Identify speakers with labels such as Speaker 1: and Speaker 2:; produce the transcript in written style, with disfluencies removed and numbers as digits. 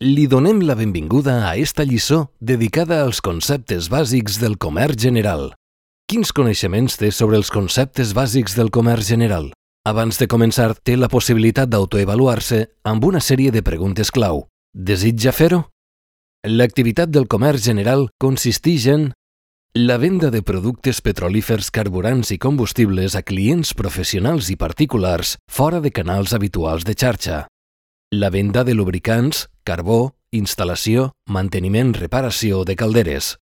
Speaker 1: Li donem la benvinguda a esta lliçó dedicada als conceptes bàsics del comerç general. Quins coneixements té sobre els conceptes bàsics del comerç general? Abans de començar, té la possibilitat d'autoavaluar-se amb una sèrie de preguntes clau. Desitja fer-ho? L'activitat del comerç general consisteix en la venda de productes petrolífers, carburants i combustibles a clients professionals i particulars fora de canals habituals de xarxa. La venda de lubricants, carbó, instal·lació, manteniment, reparació de calderes.